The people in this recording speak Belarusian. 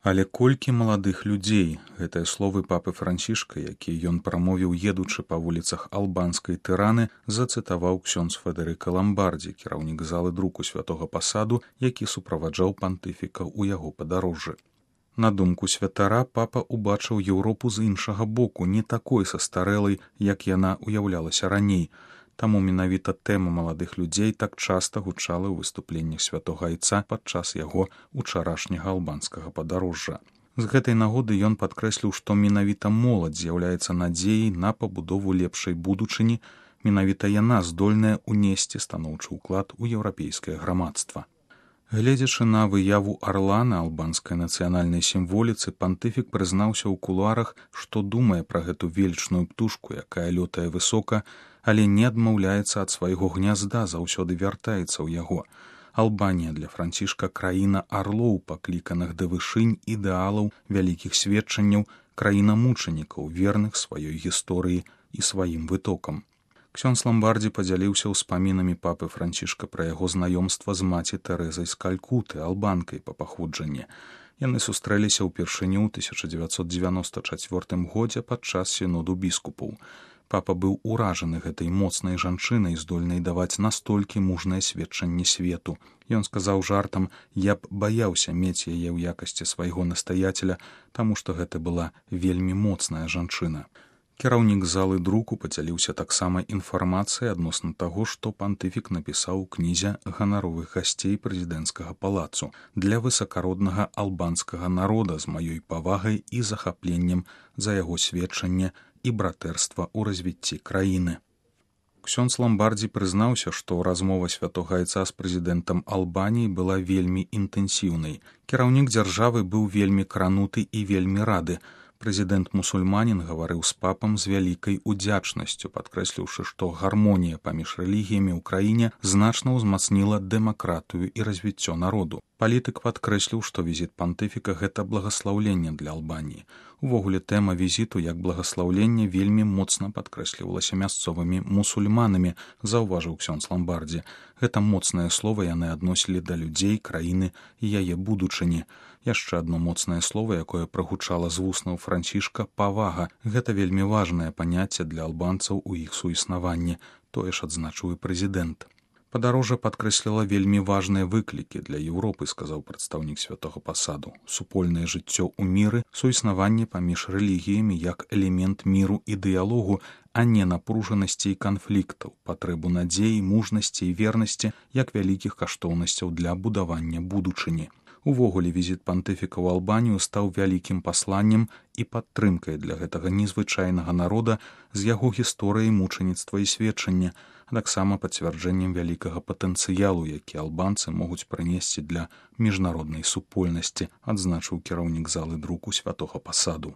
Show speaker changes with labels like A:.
A: Але колькі маладых людзей, гэтыя словы папы Францішка, якія ён прамовіў, едучы па вуліцах албанскай Тыраны, зацытаваў ксёндз Федэрыка Ламбардзі, кіраўнік залы друку святога пасаду, які суправаджаў пантыфіка ў яго падарожжы. На думку святара, папа убачыў Еўропу з іншага боку, не такой састарэлай, як яна уяўлялася раней. Таму менавіта тэма маладых людзей так часта гучала ў выступленнях святога айца падчас яго учарашняга албанскага падарожжа. З гэтай нагоды ён падкрэсліў, што менавіта моладзь з'яўляецца надзеяй на пабудову лепшай будучыні, менавіта яна здольная ўнесці станоўчы ўклад у еўрапейскае грамадства. Гледзячы на выяву арла на албанскай нацыянальнай сімволіцы, пантыфік прызнаўся ў кулуарах, што думае пра гэту велічную птушку, якая лётае высока, але не адмаўляецца ад свайго гнязда, заўсёды вяртаецца ў яго. Албанія для Францішка краіна арлоў, пакліканых да вышынь ідэалаў, вялікіх сведчанняў, краіна мучанікаў, верных сваёй гісторыі і сваім вытокам. Ксёндз Ламбардзі падзяліўся ўспамінамі папы Францішка пра яго знаёмства з маці Тэрэзай з Калькуты, албанкай па паходжанні. Яны сустрэліся ўпершыню ў 1994 годзе падчас сіноду біскупаў. Папа быў уражаны гэтай моцнай жанчынай, здольнай даваць настолькі мужнае сведчанне свету. Ён сказаў жартам: «Я б баяўся мець яе ў якасці свайго настаяцеля, таму што гэта была вельмі моцная жанчына». Кіраўнік залы друку падзяліўся таксама інфармацыяй адносна таго, што пантыфік напісаў у кнізе ганаровых гасцей прэзідэнцкага палацу для высакароднага албанскага народа з маёй павагай і захапленнем за яго сведчанне і братэрства ў развіцці краіны. Ксёндз Ламбардзі прызнаўся, што размова святога айца з прэзідэнтам Албаніі была вельмі інтэнсіўнай. Кіраўнік дзяржавы быў вельмі крануты і вельмі рады. Прэзідэнт-мусульманін гаварыў з папам з вялікай удзячнасцю, падкрэсліўшы, што гармонія паміж рэлігіямі ў краіне значна ўзмацніла дэмакратыю і развіццё народу. Палітык падкрэсліў, што візіт пантыфіка – гэта благаслаўленне для Албаніі. Увогуле тэма візіту як благаслаўлення вельмі моцна падкрэслівалася мясцовымі мусульманамі, заўважыў ксёндз Ламбардзі. Гэта моцнае слова яны адносілі да людзей, краіны і яе будучыні. Яшчэ адно моцнае слова, якое прагучала з вуснаў Францішка – павага. Гэта вельмі важнае паняцце для албанцаў у іх суіснаванні. Тое ж адзначыў і прэзідэнт. Падарожжа падкрэсліла вельмі важныя выклікі для Еўропы, сказаў прадстаўнік святога пасаду. Супольнае жыццё ў міры, суіснаванне паміж рэлігіямі як элемент міру і дыялогу, а не напружанасці і канфліктаў, патрэбу надзеі, мужнасці і вернасці як вялікіх каштоўнасцяў для будавання будучыні. Увогуле, візіт пантыфіка ў Албанію стаў вялікім пасланнем і падтрымкай для гэтага незвычайнага народа з яго гісторыяй мучаніцтва і сведчання, а таксама пацвярджэннем вялікага патэнцыялу, які албанцы могуць прынесці для міжнароднай супольнасці, адзначыў кіраўнік залы друку святога пасаду.